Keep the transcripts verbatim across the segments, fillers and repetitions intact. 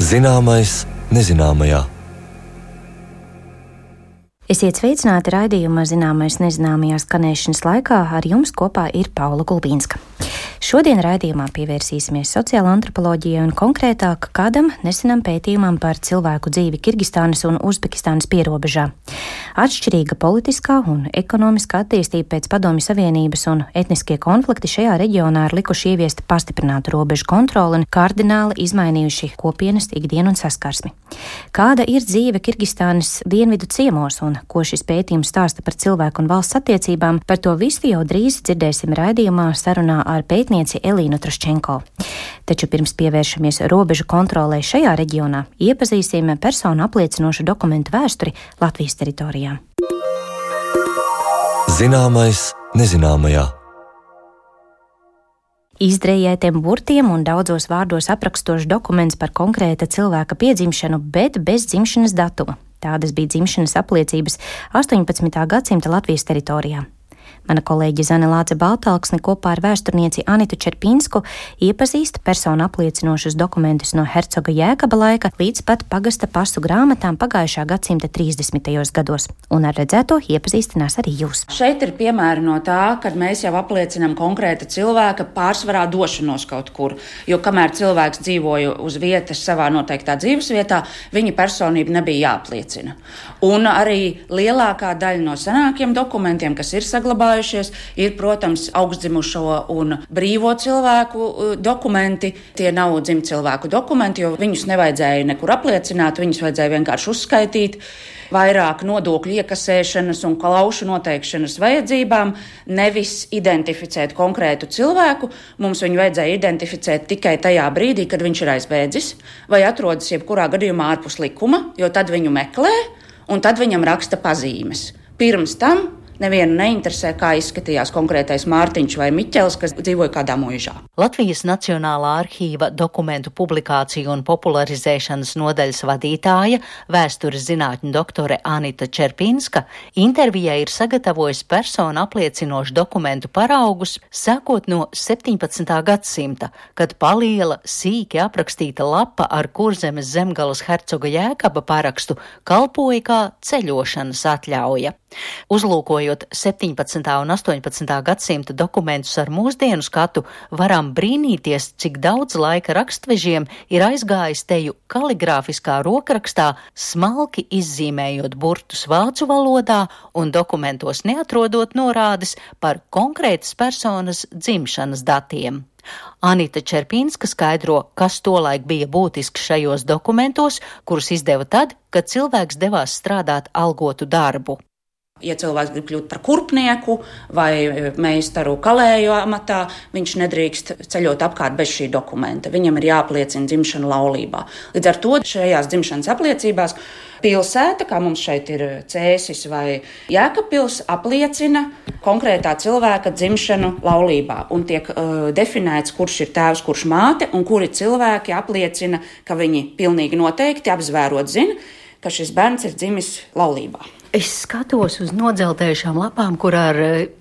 Zināmais nezināmajā. Esiet sveicināti raidījuma Zināmais nezināmajā skanēšanas laikā. Ar jums kopā ir Paula Gulbīnska. Šodien raidījumā pievērsīsimies sociāla antropoloģijai un konkrētāk kādam nesenam pētījumam par cilvēku dzīvi Kirgistānas un Uzbekistānas pierobežā. Atšķirīga politiskā un ekonomiskā attīstība pēc Padomju Savienības un etniskie konflikti šajā reģionā ir likuši ieviest pastiprinātu robežu kontroli un kardināli izmainījuši kopienas ikdienu un saskarsmi. Kāda ir dzīve Kirgistānas dienvidu ciemos un ko šis pētījums stāsta par cilvēku un valsts attiecībām, par to visu jau drīz dzirdēsim raidījumā sarunā ar pētnieci Elīnu Troščenko. Taču pirms pievēršamies robežu kontrolē šajā reģionā, iepazīsim personu apliecinošu dokumentu vēsturi Latvijas teritorijā. Zināmais nezināmajā. Izdrejētiem burtiem un daudzos vārdos aprakstošs dokuments par konkrēta cilvēka piedzimšanu, bet bez dzimšanas datuma. Tādas bija dzimšanas apliecības astoņpadsmitā gadsimta Latvijas teritorijā. Mana kolēģe Zane Lāce Baltalksne kopā ar vēsturnieci Anitu Čerpinsku iepazīst personu apliecinošus dokumentus no hercoga Jēkaba laika līdz pat pagasta pasu grāmatām pagājušā gadsimta trīsdesmitajos gados, un ar redzēto iepazīstinās arī jūs. Šeit ir piemēri no tā, kad mēs jau apliecinām konkrēta cilvēka pārsvarā došanos kaut kur, jo kamēr cilvēks dzīvoja uz vietas savā noteiktā dzīves vietā, viņa personība nebija jāapliecina. Un arī lielākā daļa no senākiem dokumentiem, kas ir saglabājušies, ir, protams, augstdzimušo un brīvo cilvēku dokumenti. Tie nav dzimtcilvēku dokumenti, jo viņus nevajadzēja nekur apliecināt, viņus vajadzēja vienkārši uzskaitīt vairāk nodokļu iekasēšanas un klaušu noteikšanas vajadzībām, nevis identificēt konkrētu cilvēku. Mums viņu vajadzēja identificēt tikai tajā brīdī, kad viņš ir aizbēdzis vai atrodas jebkurā gadījumā ārpus likuma, jo tad viņu meklē un tad viņam raksta pazīmes. Pirms tam nevienu neinteresē, kā izskatījās konkrētais Mārtiņš vai Miķels, kas dzīvoja kādā muižā. Latvijas Nacionālā arhīva dokumentu publikāciju un popularizēšanas nodaļas vadītāja, vēstures zinātņu doktore Anita Čerpinska, intervijai ir sagatavojis personu apliecinošu dokumentu paraugus, sākot no septiņpadsmitā gadsimta, kad paliela, sīki aprakstīta lapa ar Kurzemes zemgalas hercoga Jēkaba parakstu kalpoja kā ceļošanas atļauja. Uzlūkojot septiņpadsmitā un astoņpadsmitā gadsimta dokumentus ar mūsdienu skatu, varam brīnīties, cik daudz laika rakstvežiem ir aizgājis teju kaligrāfiskā rokrakstā, smalki izzīmējot burtus vācu valodā un dokumentos neatrodot norādes par konkrētas personas dzimšanas datiem. Anita Čerpinska skaidro, kas tolaik bija būtisks šajos dokumentos, kurus izdeva tad, kad cilvēks devās strādāt algotu darbu. Ja cilvēks grib kļūt par kurpnieku vai meistaru kalēju amatā, viņš nedrīkst ceļot apkārt bez šī dokumenta. Viņam ir jāapliecina dzimšana laulībā. Līdz ar to šajās dzimšanas apliecībās pilsēta, kā mums šeit ir Cēsis vai Jēkabpils, apliecina konkrētā cilvēka dzimšanu laulībā. Un tiek uh, definēts, kurš ir tēvs, kurš māte, un kuri cilvēki apliecina, ka viņi pilnīgi noteikti apzvērot zina, ka šis bērns ir dzimis laulībā. Es skatos uz nodzeltējušām lapām, kur ar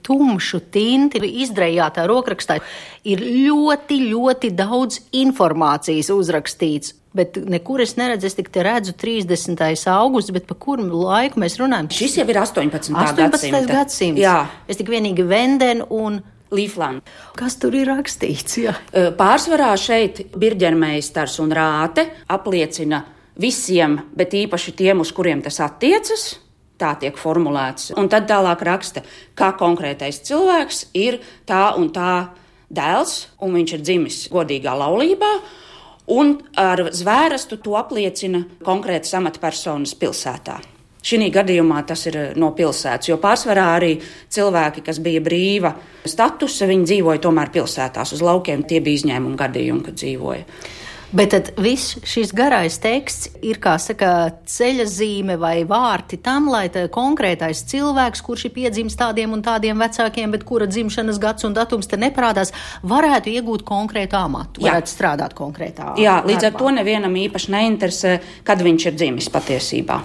tumšu tinti izdrejātā rokrakstā ir ļoti, ļoti daudz informācijas uzrakstīts. Bet nekur es neredzu, es tik te redzu trīsdesmitais augusts, bet pa kuru laiku mēs runājam? Šis jau ir astoņpadsmitā astoņpadsmitais gadsimts. Jā. Es tik vienīgi Venden un Līfland. Kas tur ir rakstīts? Jā. Pārsvarā šeit Birģermeistars un Rāte apliecina visiem, bet īpaši tiem, uz kuriem tas attiecas. Tā tiek formulēts. Un tad tālāk raksta, kā konkrētais cilvēks ir tā un tā dēls, un viņš ir dzimis godīgā laulībā, un ar zvērestu to apliecina konkrētas amatpersonas pilsētā. Šī gadījumā tas ir no pilsētas, jo pārsvarā arī cilvēki, kas bija brīva statusa, viņi dzīvoja tomēr pilsētās uz laukiem, tie bija izņēmumi gadījumi, kad dzīvoja. Bet tad viss šis garais teksts ir, kā saka, ceļa zīme vai vārti tam, lai tā konkrētais cilvēks, kurš ir piedzimis tādiem un tādiem vecākiem, bet kura dzimšanas gads un datums te neparādās, varētu iegūt konkrētu amatu, varētu Jā. strādāt konkrētā Jā, līdz darbā. Ar to nevienam īpaši neinteresē, kad viņš ir dzimis patiesībā.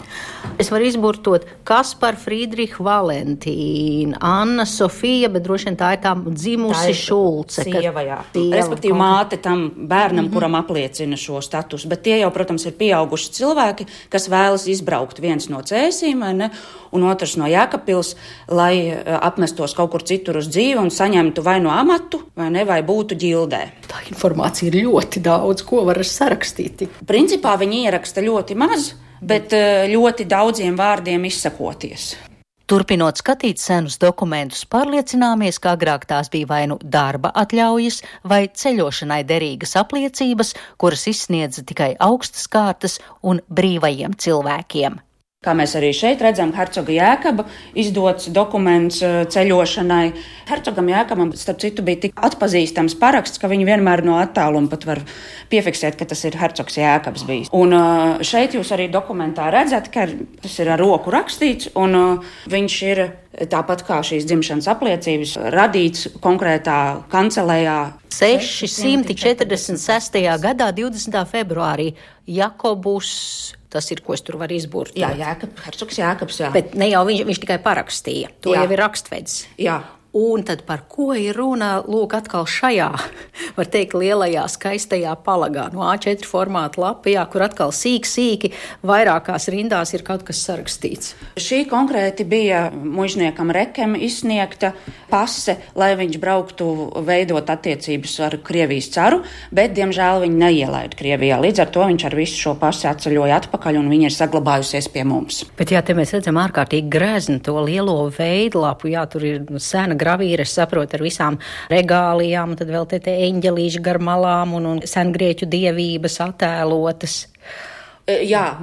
Es varu izburtot Kaspar Friedricha Valentīna, Anna Sofija, bet droši vien tā ir tā dzimusi tā ir Šulce. Sieva, jā. Respektīvi māte tam bērnam, mm-hmm. kuram apliecina. apliecina šo statusu, bet tie jau, protams, ir pieauguši cilvēki, kas vēlas izbraukt viens no Cēsīm, vai ne, un otrs no Jēkabpils, lai apmestos kaut kur citur uz dzīvi un saņemtu vai no amatu, vai ne, vai būtu ģildē. Tā informācija ir ļoti daudz, ko var sarakstīt. Principā viņi ieraksta ļoti maz, bet ļoti daudziem vārdiem izsakoties. Turpinot skatīt senus dokumentus, pārliecināmies, ka agrāk tās bija vai nu darba atļaujas vai ceļošanai derīgas apliecības, kuras izsniedza tikai augstas kārtas un brīvajiem cilvēkiem. Kā mēs arī šeit redzam, hercoga Jēkaba izdots dokuments ceļošanai. Hercogam Jēkabam, starp citu, bija tik atpazīstams paraksts, ka viņi vienmēr no attāluma pat var piefiksēt, ka tas ir hercogs Jēkabs bijis. Un šeit jūs arī dokumentā redzat, ka tas ir ar roku rakstīts, un viņš ir tāpat kā šīs dzimšanas apliecības radīts konkrētā kancelējā. sešsimt četrdesmit sestajā gadā, divdesmitā februārī, Jakobus. Tas ir, ko es tur varu izbūrt. Jā, Jēkab, hercogs Jēkabs, jā. Bet ne jau viņš, viņš tikai parakstīja. To jā. Jau ir rakstvedis. Jā. Un tad par ko ir runa, lūk, atkal šajā, var teikt, lielajā, skaistajā palagā, no A četri formāta lapā, kur atkal sīk, sīki, vairākās rindās ir kaut kas sarakstīts. Šī konkrēti bija mužniekam Rekem izsniegta pase, lai viņš brauktu veidot attiecības ar Krievijas caru, bet, diemžēl, viņi neielaida Krievijā. Līdz ar to viņš ar visu šo pasi atceļoja atpakaļ, un viņa ir saglabājusies pie mums. Bet jā, te mēs redzam ārkārtīgi grezni to lielo veidlapu, jā, tur ir sena gravīra, es saprotu, ar visām regālijām, tad vēl te te eņģelīši gar malām un, un sengrieķu dievības attēlotas. Jā,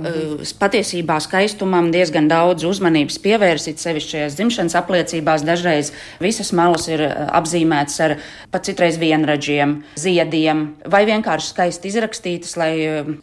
patiesībā skaistumam diezgan daudz uzmanības pievērsīt, sevišķi šajās dzimšanas apliecībās. Dažreiz visas malas ir apzīmētas ar pat citreiz vienradžiem, ziediem vai vienkārši skaisti izrakstītas, lai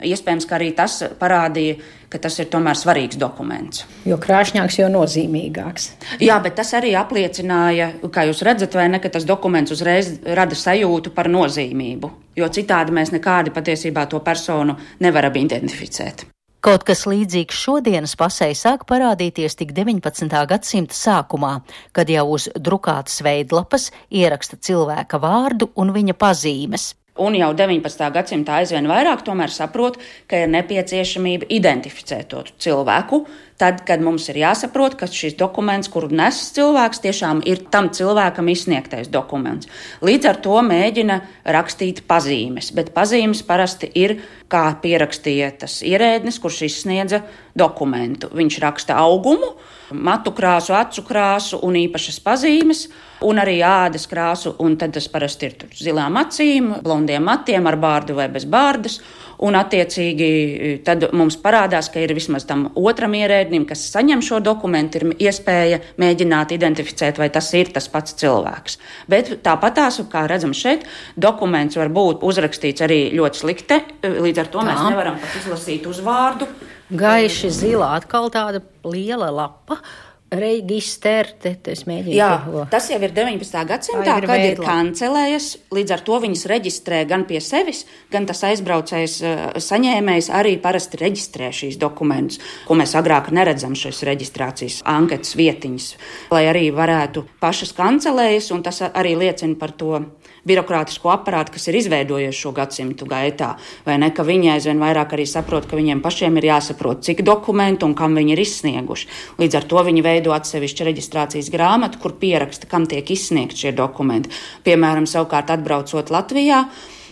iespējams, ka arī tas parādīja, ka tas ir tomēr svarīgs dokuments. Jo krāšņāks, jo nozīmīgāks. Jā, bet tas arī apliecināja, kā jūs redzat, vai ne, ka tas dokuments uzreiz rada sajūtu par nozīmību, jo citādi mēs nekādi patiesībā to personu nevaram identificēt. Kaut kas līdzīgs šodienas pasei sāk parādīties tik deviņpadsmitā gadsimta sākumā, kad jau uz drukātas veidlapas ieraksta cilvēka vārdu un viņa pazīmes. Un jau deviņpadsmitā gadsimtā aizvien vairāk tomēr saprot, ka ir nepieciešamība identificēt to cilvēku, tad, kad mums ir jāsaprot, ka šis dokuments, kuru nes cilvēks, tiešām ir tam cilvēkam izsniegtais dokuments. Līdz ar to mēģina rakstīt pazīmes, bet pazīmes parasti ir, kā pierakstīja tas ierēdnis, kurš izsniedza dokumentu. Viņš raksta augumu, matu krāsu, acu krāsu un īpašas pazīmes, un arī ādas krāsu, un tad tas parasti ir tur zilām acīm, blondiem matiem ar bārdu vai bez bārdas, un attiecīgi tad mums parādās, ka ir vismaz tam otram ierēdnim, kas saņem šo dokumentu, ir iespēja mēģināt identificēt, vai tas ir tas pats cilvēks. Bet tāpatās, kā redzam šeit, dokuments var būt uzrakstīts arī ļoti slikti, līdz ar to Tā. Mēs nevaram pat izlasīt uzvārdu. Gaiši zilā, atkal tāda liela lapa. Reģister, te, te es mēģinu. Jā, tas jau ir deviņpadsmitā gadsimtā, ir kad veidla. Ir kancelējas, līdz ar to viņas reģistrē gan pie sevis, gan tas aizbraucējs saņēmējs arī parasti reģistrē šīs dokumentus, ko mēs agrāk neredzam šīs reģistrācijas anketas vietiņas, lai arī varētu pašas kancelējas, un tas arī liecina par to birokrātisko aparātu, kas ir izveidojies šo gadsimtu gaitā, vai ne, ka viņi aizvien vairāk arī saprot, ka viņiem pašiem ir jāsaprot, cik dokumentu un kam viņi ir izsnieguši. Līdz ar to viņi veido atsevišķu reģistrācijas grāmatu, kur pieraksta, kam tiek izsniegt šie dokumenti. Piemēram, savukārt atbraucot Latvijā,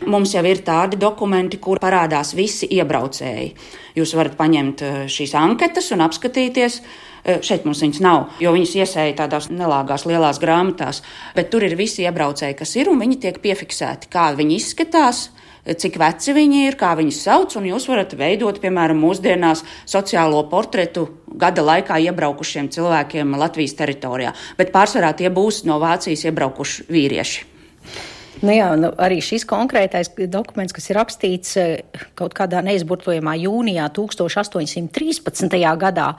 mums jau ir tādi dokumenti, kur parādās visi iebraucēji. Jūs varat paņemt šīs anketas un apskatīties. Šeit mums viņas nav, jo viņas iesēja tādās nelāgās lielās grāmatās, bet tur ir visi iebraucēji, kas ir, un viņi tiek piefiksēti, kā viņi izskatās, cik veci viņi ir, kā viņus sauc, un jūs varat veidot, piemēram, mūsdienās sociālo portretu gada laikā iebraukušiem cilvēkiem Latvijas teritorijā, bet pārsvarā tie būs no Vācijas iebraukuši vīrieši. Nu jā, nu arī šis konkrētais dokuments, kas ir rakstīts kaut kādā neizburtojamā jūnijā tūkstoš astoņsimt trīspadsmitajā gadā,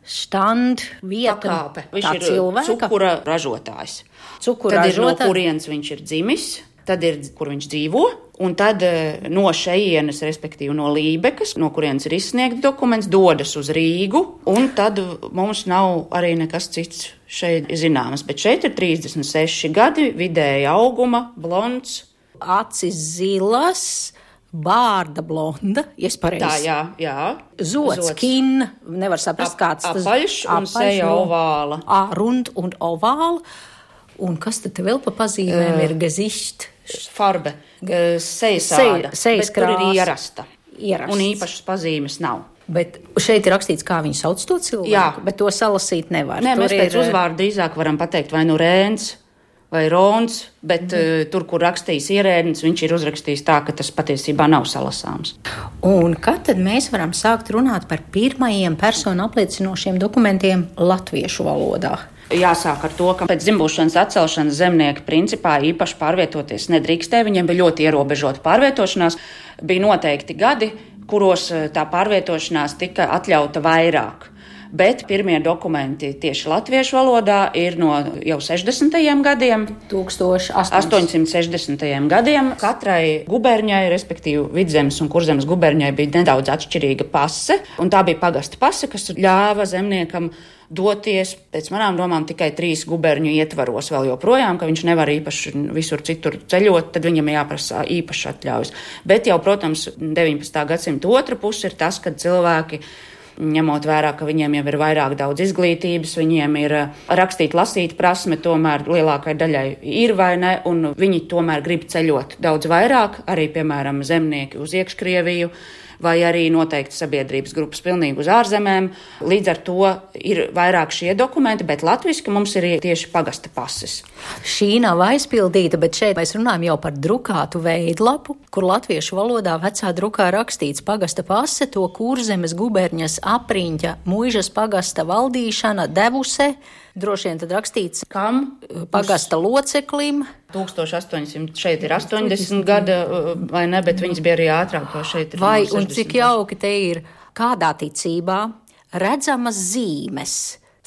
štand, vieta, pakāpe. Viņš tā ir cilvēka. Cukura ražotājs. Cukura tad ražotājs. Ir no kurienes viņš ir dzimis, tad ir, kur viņš dzīvo, un tad no šejienes, respektīvi no Lībekas, no kurienes ir izsniegts dokuments, dodas uz Rīgu, un tad mums nav arī nekas cits šeit zināmas. Bet šeit ir trīsdesmit seši gadi, vidēja auguma, blonds. Acis zilas, bārda blonda, ja es pareizi. Tā, jā, jā. Zots, Zots. Kin, nevar saprast, kāds tas. Apaļš un seja ovāla. Ā, rund un ovāla. Un kas tad te vēl pa pazīmēm uh, ir gezišt? Farbe, sejas āda, sejas bet tur ir ierasta. Ierasts. Un īpašas pazīmes nav. Bet šeit ir rakstīts, kā viņi sauc to cilvēku, jā. Bet to salasīt nevar. Nē, tur mēs pēc ir... uzvārdu drīzāk varam pateikt vai nu Rēns, vai Rons, bet mm. uh, tur, kur rakstījis ierēdnis, viņš ir uzrakstījis tā, ka tas patiesībā nav salasāms. Un kad tad mēs varam sākt runāt par pirmajiem personu apliecinošiem dokumentiem latviešu valodā? Jāsāk ar to, ka pēc dzimbūšanas atcelšanas zemnieki principā īpaši pārvietoties nedrīkstēja. Viņiem bija ļoti ierobežota pārvietošanās. Bija noteikti gadi, kuros tā pārvietošanās tika atļauta vairāk. Bet pirmie dokumenti tieši latviešu valodā ir no jau sešdesmitajiem gadiem. astoņsimt sešdesmitajiem gadiem. Katrai guberņai, respektīvi Vidzemes un Kurzemes guberņai, bija nedaudz atšķirīga pase. Un tā bija pagasta pase, kas ļāva zemniekam doties, pēc manām domām, tikai trīs guberņu ietvaros vēl joprojām, ka viņš nevar īpaši visur citur ceļot, tad viņam jāprasa īpaši atļaujas. Bet jau, protams, deviņpadsmitā gadsimta otra puse ir tas, kad cilvēki, ņemot vērā, ka viņiem jau ir vairāk daudz izglītības, viņiem ir rakstīt, lasīt prasme, tomēr lielākai daļai ir vai ne, un viņi tomēr grib ceļot daudz vairāk, arī, piemēram, zemnieki uz Iekškrieviju, vai arī noteikti sabiedrības grupas pilnīgi uz ārzemēm. Līdz ar to ir vairāk šie dokumenti, bet latviski mums ir tieši pagasta pases. Šī nav aizpildīta, bet šeit mēs runājam jau par drukātu veidlapu, kur latviešu valodā vecā drukā rakstīts pagasta pase, to Kurzemes guberņas apriņķa muižas pagasta valdīšana devuse, droši vien tad rakstīts, kam pagasta loceklim. tūkstoš astoņsimt, šeit ir astoņdesmit gada, vai ne, bet viņas bija arī ātrāk, jo šeit ir vai, un cik jauki te ir, kādā ticībā redzamas zīmes,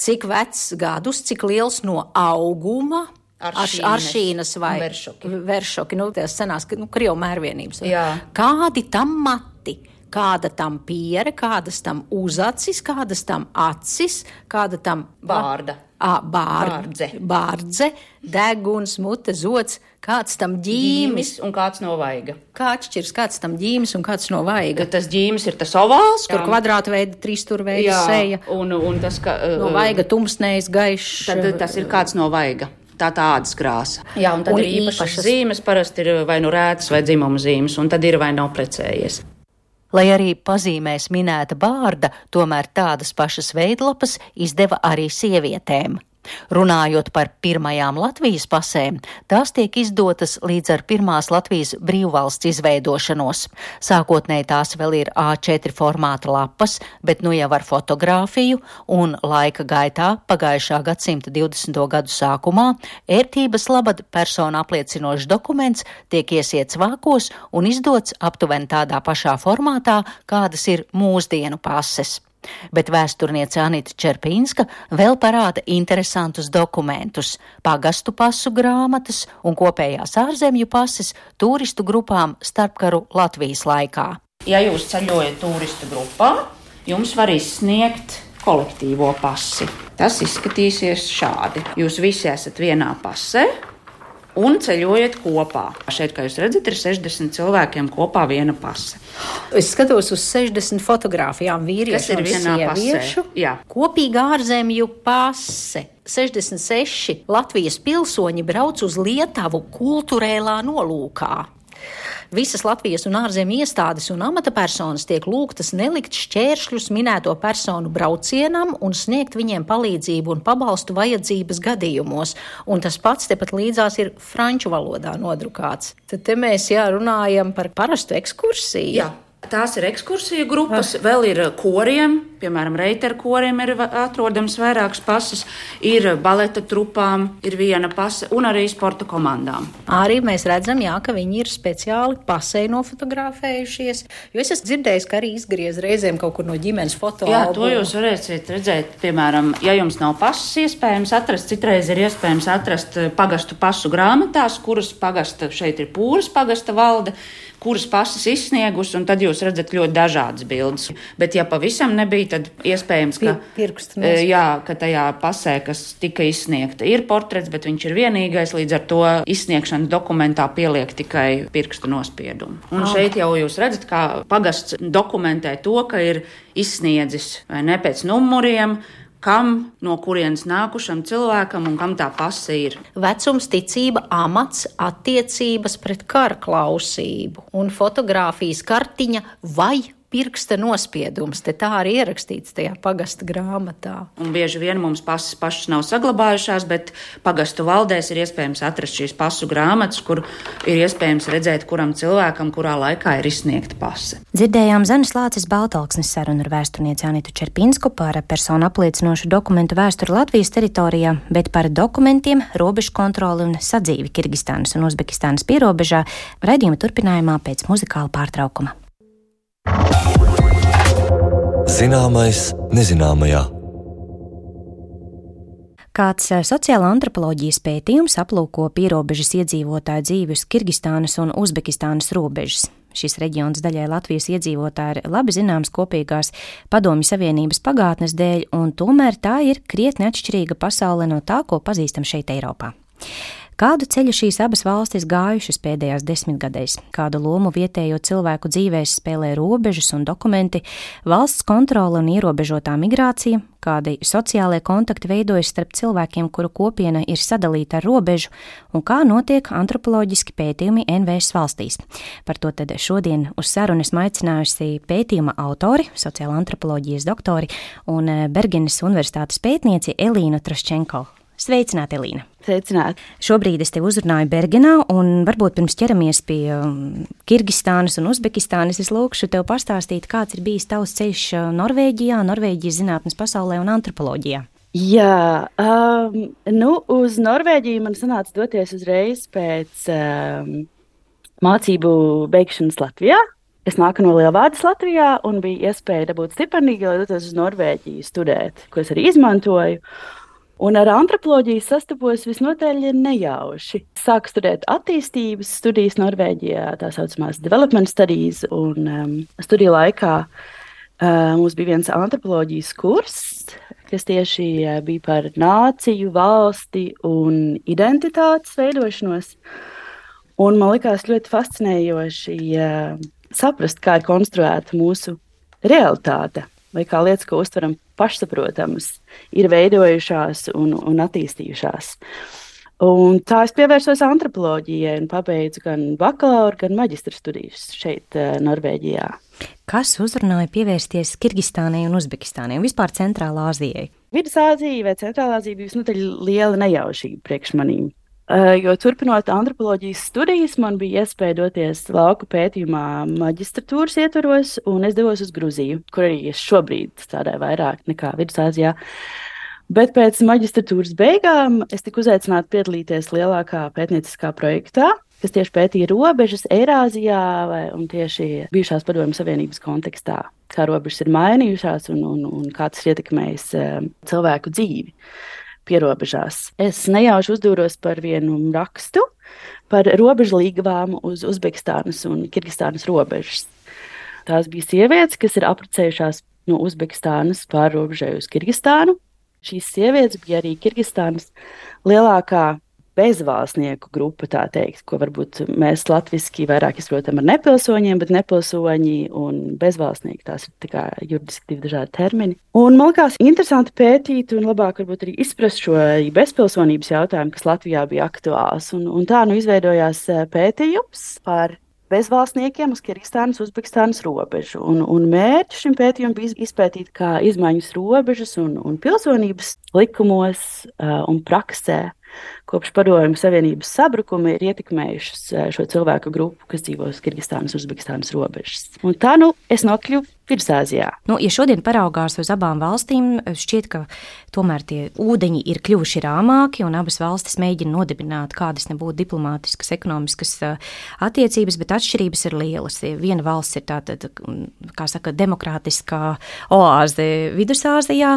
cik vecs gadus, cik liels no auguma, Aršīnes, aršīnas vai veršoki, veršoki nu, tās senās, nu, Krievu mērvienības. Jā. Kādi tam mati? Kāda tam piere, kādas tam uzacis, kādas tam acis, kāda tam bārda. À, bār, bārdze. Bārdze, deguns, mute, zots, kāds tam ģīmis. ģīmis un kāds no vaiga. Kā atšķirs, kāds tam ģīmis un kāds no vaiga? Tas ģīmis ir tas ovāls, kur kvadrāta veida, trīsstūra veida seja. Un, un tas, ka, no vaiga tumsnējs, gaišs. Tad tas ir kāds no vaiga. Tā tā ādas krāsa. Jā, un tad un ir īpašas, īpašas zīmes, parasti ir vai nu rētas vai dzimuma zīmes, un tad ir vai nav precējies. Lai arī pazīmēs minēta bārda, tomēr tādas pašas veidlapas izdeva arī sievietēm. Runājot par pirmajām Latvijas pasēm, tās tiek izdotas līdz ar pirmās Latvijas brīvvalsts izveidošanos. Sākotnēji tās vēl ir A četri formāta lapas, bet nu jau ar fotogrāfiju, un laika gaitā pagājušā gadsimta divdesmito gadu sākumā ērtības labad persona apliecinošs dokuments tiek iesiets vākos un izdots aptuveni tādā pašā formātā, kādas ir mūsdienu pases. Bet vēsturniece Anita Čerpīnska vēl parāda interesantus dokumentus – pagastu pasu grāmatas un kopējās ārzemju pases turistu grupām starpkaru Latvijas laikā. Ja jūs ceļojat turistu grupā, jums var izsniegt kolektīvo pasi. Tas izskatīsies šādi. Jūs visi esat vienā pasē un ceļojat kopā. Šeit, kā jūs redzat, ir sešdesmit cilvēkiem kopā viena pase. Es skatos uz sešdesmit fotogrāfijām vīriešu un sieviešu. Kopīga ārzemju pase. sešdesmit seši Latvijas pilsoņi brauc uz Lietuvu kulturēlā nolūkā. Visas Latvijas un ārzemju iestādes un amatapersonas tiek lūgtas nelikt šķēršļus minēto personu braucienam un sniegt viņiem palīdzību un pabalstu vajadzības gadījumos. Un tas pats tepat līdzās ir franču valodā nodrukāts. Tad te mēs jā, runājam par parastu ekskursiju. Jā. Tās ir ekskursiju grupas, ah. vēl ir koriem, piemēram, reiteru koriem ir atrodams vairākas pases, ir baleta trupām, ir viena pase un arī sporta komandām. Arī mēs redzam, jā, ka viņi ir speciāli pasei nofotografējušies, jo es esmu dzirdējis, ka arī izgriez reizēm kaut kur no ģimenes fotoalbumu. Jā, to jūs varēsiet redzēt, piemēram, ja jums nav pases iespējams atrast, citreiz ir iespējams atrast pagastu pasu grāmatās, kuras pagasta, šeit ir Pūras pagasta valde, kuras pases izsniegus, un tad jūs redzat ļoti dažādas bildes. Bet ja pavisam nebija tad iespējams, ka, Pirkstu jā, ka tajā pasē, kas tika izsniegta, ir portrets, bet viņš ir vienīgais, līdz ar to izsniegšanas dokumentā pieliek tikai pirkstu nospiedumu. Un oh. šeit jau jūs redzat, kā pagasts dokumentē to, ka ir izsniedzis vai ne pēc numuriem, kam, no kurienes nākušam cilvēkam un kam tā pase ir. Vecums, ticība, amats, attiecības pret kara klausību un fotogrāfijas kartiņa vai pirksta nospiedums. Te tā arī ierakstīts tajā pagasta grāmatā. Un bieži vien mums pasas pašas nav saglabājušās, bet pagastu valdēs ir iespējams atrast šīs pasu grāmatas, kur ir iespējams redzēt, kuram cilvēkam, kurā laikā ir izsniegta pase. Dzirdējām Zanes Lācis Baltalksnes sarunu ar vēsturnieci Anitu Čerpinsku par personu apliecinošu dokumentu vēsturi Latvijas teritorijā, bet par dokumentiem, robežu kontroli un sadzīvi Kirgistānas un Uzbekistānas pierobežā raidījuma turpinājumā pēc muzikāla pārtraukuma. Zināmais nezināmajā. Kāds sociāla antropoloģijas pētījums aplūko pierobežas iedzīvotāju dzīvi uz Kirgistānas un Uzbekistānas robežas. Šis reģions daļai Latvijas iedzīvotāji ir labi zināms kopīgās Padomju Savienības pagātnes dēļ, un tomēr tā ir krietni atšķirīga pasaule no tā, ko pazīstam šeit Eiropā. Kādu ceļu šīs abas valstis gājušas pēdējās desmitgadēs, kādu lomu vietējo cilvēku dzīvēs spēlē robežas un dokumenti, valsts kontrole un ierobežotā migrācija, kādi sociālie kontakti veidojas starp cilvēkiem, kuru kopiena ir sadalīta ar robežu, un kā notiek antropoloģiski pētījumi N V S valstīs. Par to tad šodien uz sarunu esmu aicinājusi pētījuma autori, sociāla antropoloģijas doktori un Bergenes universitātes pētnieci Elīnu Traščenko. Sveicināti, Elīna! Sveicināti! Šobrīd es tevi uzrunāju Bergenā, un varbūt pirms ķeramies pie Kirgistānas un Uzbekistānas, es lūkšu tev pastāstīt, kāds ir bijis tavs ceļš Norvēģijā, Norvēģijas zinātnes pasaulē un antropoloģijā. Jā, um, nu, uz Norvēģiju man sanāca doties uzreiz pēc um, mācību beigšanas Latvijā. Es nāku no Lielvārdas Latvijā un bija iespēja dabūt stipendiju, lai dotos uz Norvēģiju studēt, ko es arī izmantoju. Un ar antropoloģiju sastapos visnotaļ nejauši. Sāku studēt attīstības studijas Norvēģijā, tā saucamās development studies, un um, studiju laikā uh, mums bija viens antropoloģijas kurs, kas tieši uh, bija par nāciju, valsti un identitātes veidošanos. Un man likās ļoti fascinējoši uh, saprast, kā ir konstruēta mūsu realitāte, vai kā lietas, ko uztveram pašsaprotamas, ir veidojušās un, un attīstījušās. Un tā es pievērsos antropoloģijai un pabeidzu gan bakalaura, gan maģistra studijas šeit, Norvēģijā. Kas uzrunāja pievērsties Kirgistānai un Uzbekistānai un vispār Centrālā Āzijai? Vidusāzija vai Centrālā Āzija bija visnotaļ liela nejaušība priekš manīm. Jo turpinot antropoloģijas studijas, man bija iespēja doties lauku pētījumā maģistratūras ietvaros, un es devos uz Gruziju, kur arī es šobrīd strādāju vairāk nekā Vidusāzijā. Bet pēc maģistratūras beigām es tiku uzaicināta piedalīties lielākā pētnieciskā projektā, kas tieši pētīja robežas Eirāzijā vai, un tieši bijušās Padomju Savienības kontekstā, kā robežas ir mainījušās un, un, un kā tas ietekmējis cilvēku dzīvi pierobežās. Es nejauši uzdūros par vienu rakstu par robežu līgavām uz Uzbekistānas un Kirgistānas robežas. Tās bija sievietes, kas ir apprecējušās no Uzbekistānas pār robežai uz Kirgistānu. Šīs sievietes bija arī Kirgistānas lielākā bezvalstnieku grupa, tā teikt, ko varbūt mēs latviski vairāk izprotam ar nepilsoņiem, bet nepilsoņi un bezvalstnieki, tās ir tā kā juridiski divi dažādi termini. Un man likās interesanti pētīt un labāk varbūt arī izprast šo bezpilsonības jautājumu, kas Latvijā bija aktuāls. Un, un tā nu izveidojās pētījums par bezvalstniekiem uz Kirgistānas, Uzbekistānas robežu. Un, un mērķis šim pētījumam bija izpētīt, kā izmaiņas robežas un, un pilsonības likumos uh, un praksē kopš Padomju Savienības sabrukuma ir ietekmējušas šo cilvēku grupu, kas dzīvo uz Kirgistānas, Uzbekistānas robežas. Un tā nu es nokļuvu Vidusāzijā. Nu, ja šodien paraugās uz abām valstīm, šķiet, ka tomēr tie ūdeņi ir kļuvuši rāmāki un abas valstis mēģina nodibināt kādas nebūtu diplomātiskas, ekonomiskas attiecības, bet atšķirības ir lielas. Viena valsts ir tātad, kā saka, demokrātiskā oāze Vidusāzijā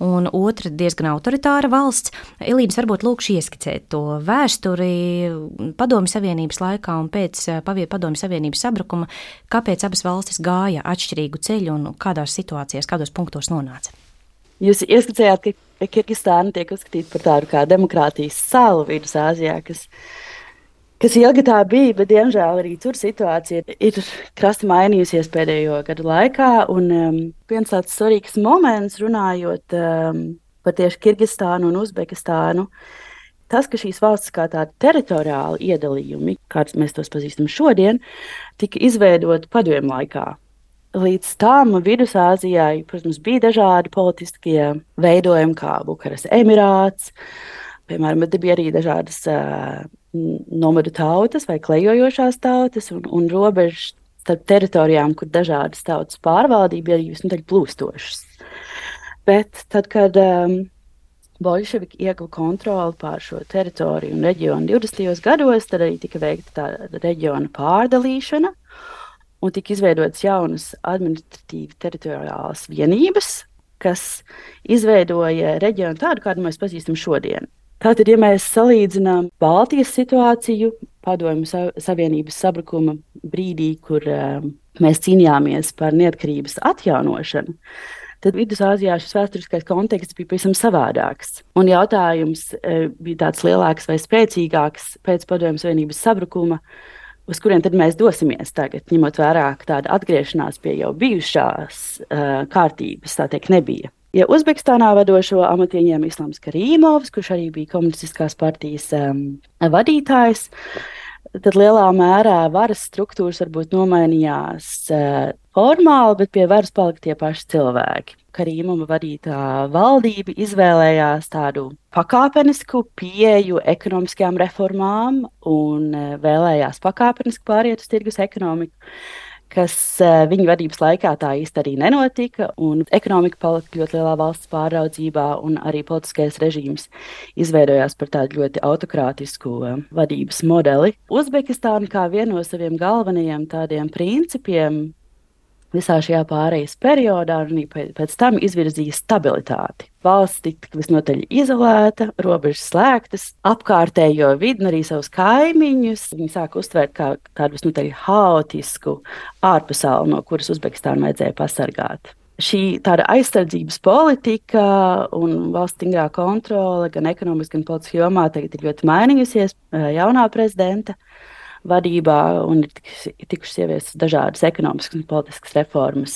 un otra diezgan autoritāra valsts. Elīnas, varbūt lūkšu ieskicēt to vēsturi Padomju Savienības laikā un pēc Padomju Savienības sabrukuma, kāpēc abas valstis gāja atšķirīgu ceļu ceļu un kādās situācijās, kādos punktos nonāca? Jūs ieskicējāt, ka Kirgistāna tiek uzskatīta par tādu kā demokrātijas salu Vidusāzijā, kas, kas ilgi tā bija, bet diemžēl arī tur situācija ir krasti mainījusies pēdējo gadu laikā. Un um, viens tāds svarīgs moments runājot um, par tieši Kirgistānu un Uzbekistānu, tas, ka šīs valstis kā tādi teritoriāli iedalījumi, kāds mēs tos pazīstam šodien, tika izveidoti padomju laikā. Līdz tam Vidusāzijai, protams, bija dažādi politiskie veidojumi, kā Bukaras Emirāts, piemēram, bet bija arī dažādas uh, nomadu tautas vai klejojošās tautas un, un robežas starp teritorijām, kur dažādas tautas pārvaldība bija visnotaļ plūstošas. Bet tad, kad um, bolševiki ieguva kontroli pār šo teritoriju un reģionu divdesmitajos gados, tad arī tika veikta tā reģiona pārdalīšana. Un tika izveidotas jaunas administratīvi teritoriālās vienības, kas izveidoja reģionu tādu, kādu mēs pazīstam šodien. Tātad, ja mēs salīdzinām Baltijas situāciju, Padomju Savienības sabrukuma brīdī, kur uh, mēs cīnījāmies par neatkarības atjaunošanu, tad Vidusāzijā šis vēsturiskais konteksts bija pavisam savādāks. Un jautājums uh, bija tāds lielāks vai spēcīgāks pēc Padomju Savienības sabrukuma, uz kuriem tad mēs dosimies tagad, ņemot vērā, ka tāda atgriešanās pie jau bijušās uh, kārtības, tā teikt, nebija. Ja Uzbekistānā vadošo amatu ieņēma Islams Karīmovs, kurš arī bija komunistiskās partijas um, vadītājs, tad lielā mērā varas struktūras varbūt nomainījās uh, formāli, bet pie varas palika tie paši cilvēki. Karīmova vadītā valdība izvēlējās tādu pakāpenisku pieeju ekonomiskajām reformām un vēlējās pakāpeniski pāriet uz tirgus ekonomiku, kas viņa vadības laikā tā īsti arī nenotika, un ekonomika palika ļoti lielā valsts pāraudzībā, un arī politiskais režīms izveidojās par tādu ļoti autokrātisku vadības modeli. Uzbekistāna kā viena no saviem galvenajiem tādiem principiem visā šajā pārejas periodā un pēc tam izvirzīja stabilitāti. Valsts tika visnotaļ izolēta, robežas slēgtas, apkārtējo vidi un arī savus kaimiņus. Viņi sāka uztvērt kā tādu visnotaļ haotisku ārpasauli, no kuras Uzbekistānu vajadzēja pasargāt. Šī tāda aizsardzības politika un valsts stingrā kontrole gan ekonomiski, gan politiskajā jomā tagad ir ļoti mainījusies jaunā prezidenta vadībā un ir tikušas ieviestas dažādas ekonomiskas un politiskas reformas.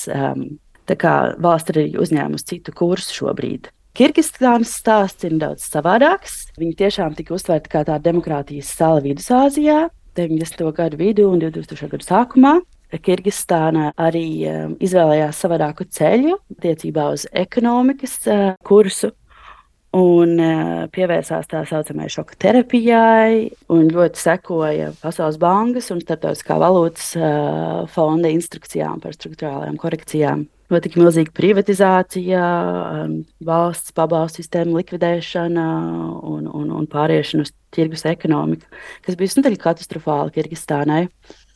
Tā kā valsts ir arī uzņēmusi citu kursu šobrīd. Kirgistānas stāsts ir daudz savādāks. Viņi tiešām tika uztvērti kā tāda demokrātijas sala Vidusāzijā deviņdesmito gadu vidū un divtūkstošo gadu sākumā. Kirgistāna arī um, izvēlējās savādāku ceļu attiecībā uz ekonomikas uh, kursu. Un uh, pievērsās tā saucamajai šoka terapijai un ļoti sekoja Pasaules bankas un Starptautiskā valūtas uh, fonda instrukcijām par struktūrālajām korekcijām. Notika milzīga privatizācija, um, valsts pabalstu sistēmu likvidēšana un, un, un pāriešana uz tirgus ekonomiku, kas bija visnotaļ katastrofāli Kirgistānai,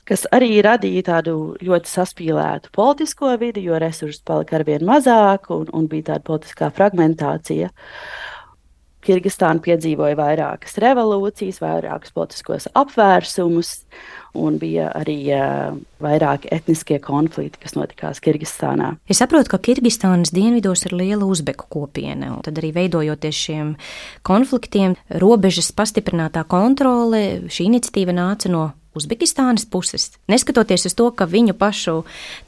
kas arī radīja tādu ļoti saspīlētu politisko vidi, jo resursus palika arvien mazāk un, un bija tāda politiskā fragmentācija. Kirgistāna piedzīvoja vairākas revolūcijas, vairākus politiskos apvērsumus, un bija arī uh, vairāki etniskie konflikti, kas notikās Kirgistānā. Es saprotu, ka Kirgistānas dienvidos ir liela uzbeku kopiena, un tad arī veidojoties šiem konfliktiem, robežas pastiprinātā kontrole, šī iniciatīva nāca no Uzbekistānas puses, neskatoties uz to, ka viņu pašu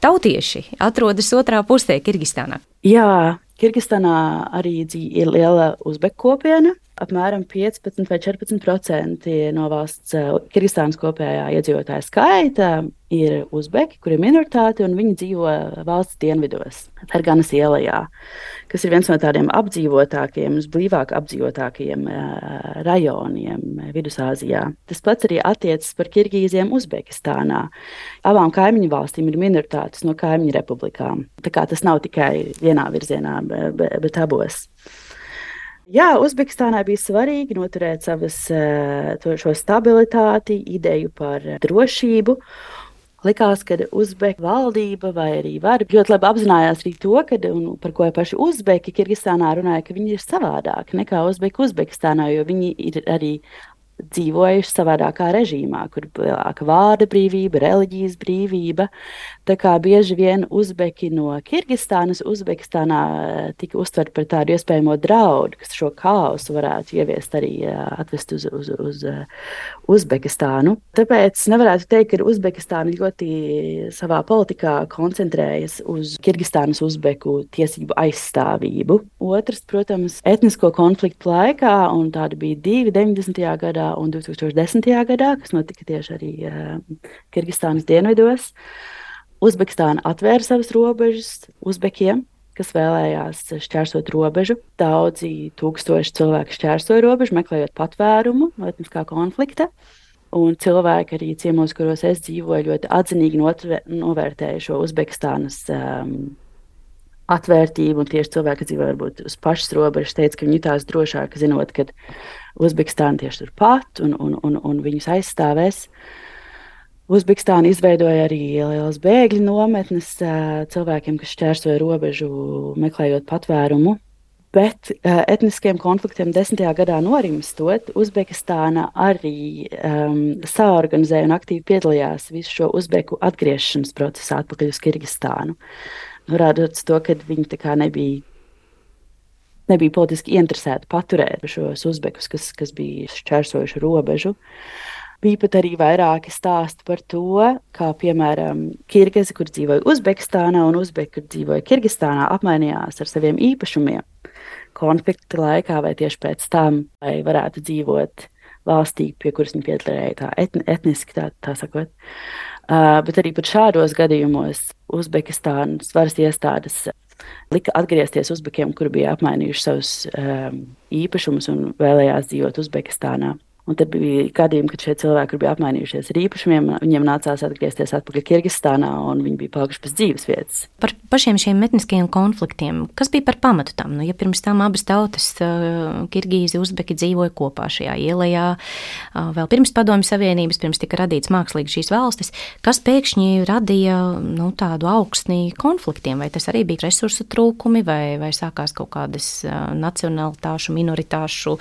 tautieši atrodas otrā pusē Kirgistānā. Jā, Kirgistānā arī ir liela uzbeku kopiena. Apmēram piecpadsmit vai četrpadsmit procenti no valsts Kirgistānas kopējā iedzīvotāja skaita ir uzbeki, kuri ir minoritāti, un viņi dzīvo valsts dienvidos, Ferganas ielajā, kas ir viens no tādiem apdzīvotākajiem, blīvāk apdzīvotākajiem rajoniem Vidusāzijā. Tas pats arī attiecas par Kirgīziem Uzbekistānā. Abām kaimiņu valstīm ir minoritātes no kaimiņu republikām. Tā kā tas nav tikai vienā virzienā, bet, bet abos. Jā, Uzbekistānai bija svarīgi noturēt savas, to, šo stabilitāti, ideju par drošību. Likās, ka Uzbeku valdība vai arī vara ļoti labi apzinājās arī to, ka, un par ko paši Uzbeki Kirgistānā runāja, ka viņi ir savādāki nekā Uzbeki Uzbekistānā, jo viņi ir arī dzīvojuši savādākā režīmā, kur lielāka vārda brīvība, reliģijas brīvība. Tā kā bieži vien uzbeki no Kirgistānas, Uzbekistānā tika uztverti par tādu iespējamo draudu, kas šo kaosu varētu ieviest arī atvest uz, uz, uz Uzbekistānu. Tāpēc nevarētu teikt, ka Uzbekistāna ļoti savā politikā koncentrējas uz Kirgistānas uzbeku tiesību aizstāvību. Otrs, protams, etnisko konfliktu laikā, un tādi bija divi deviņdesmitajā gadā un divi tūkstoši desmitajā gadā, kas notika tieši arī uh, Kirgistānas dienvidos. Uzbekistāna atvēra savas robežas uzbekiem, kas vēlējās šķērsot robežu. Daudzi tūkstoši cilvēku šķērsoja robežu, meklējot patvērumu no etniskā konflikta. Un cilvēki arī ciemos, kuros es dzīvoju, ļoti atzinīgi novērtēja šo Uzbekistānas um, atvērtību, un tieši cilvēki, kas dzīvo varbūt uz pašas robežas, teica, ka viņi jutās drošāk, zinot, ka Uzbekistāna tieši turpat un, un, un, un viņus aizstāvēs. Uzbekistāna izveidoja arī lielas bēgļu nometnes cilvēkiem, kas šķērsoja robežu, meklējot patvērumu. Bet uh, etniskiem konfliktiem desmitajā gadā norimstot, Uzbekistāna arī um, saorganizēja un aktīvi piedalījās visu šo uzbeku atgriešanas procesā atpakaļ uz Kirgistānu. Norādot to, ka viņi tā kā nebija, nebija politiski interesēti paturēt šos uzbekus, kas, kas bija šķērsojuši robežu. Bija pat arī vairāki stāsti par to, kā, piemēram, kirgizi, kur dzīvoja Uzbekistānā un uzbeki, kur dzīvoja Kirgistānā, apmainījās ar saviem īpašumiem konflikta laikā vai tieši pēc tam, lai varētu dzīvot valstī, pie kuras viņi piederēja tā etni, etniski, tā, tā sakot. Uh, bet arī pat šādos gadījumos Uzbekistānas varas iestādes lika atgriezties uzbekiem, kuri bija apmainījuši savus um, īpašumus un vēlējās dzīvot Uzbekistānā. Un tad bija gadījumi, kad šie cilvēki, kur bija apmainījušies ar īpašumiem, viņiem nācās atgriezties atpakaļ Kirgistānā, un viņi bija palikuši bez dzīves vietas. Par pašiem šiem etniskajiem konfliktiem, kas bija par pamatu tam? Nu, ja pirms tam abas tautas, Kirgīzi, Uzbeki, dzīvoja kopā šajā ielajā, vēl pirms Padomju Savienības, pirms tika radīts mākslīgi šīs valstis, kas pēkšņi radīja nu, tādu augstni konfliktiem? Vai tas arī bija resursu trūkumi, vai, vai sākās kaut kādas nacionalitāšu, minoritāšu,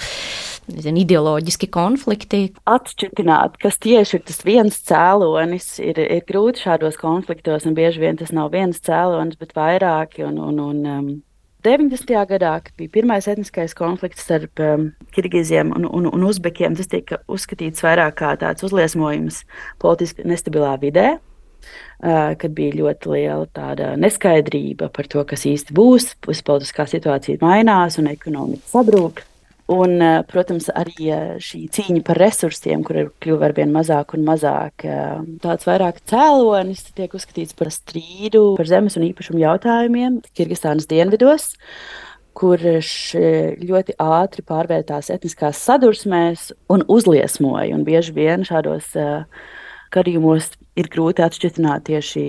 nezinu, ideoloģiski konflikti? Konflikti. Atšķitināt, kas tieši ir tas viens cēlonis, ir, ir grūti šādos konfliktos, un bieži vien tas nav viens cēlonis, bet vairāki. Un, un, un, um, deviņdesmitajā gadā, kad bija pirmais etniskais konflikts starp um, Kirgiziem un, un, un Uzbekiem, tas tika uzskatīts vairāk kā tāds uzliesmojums politiski nestabilā vidē, uh, kad bija ļoti liela tāda neskaidrība par to, kas īsti būs, politiskā situācija mainās un ekonomika sabrūk. Un, protams, arī šī cīņa par resursiem, kur ir kļuva arvien mazāk un mazāk, tāds vairāk cēlonis tiek uzskatīts par strīdu par zemes un īpašumu jautājumiem Kirgistānas dienvidos, kurš ļoti ātri pārvērtās etniskās sadursmēs un uzliesmoja. Un bieži vien šādos gadījumos ir grūti atšķirt tieši,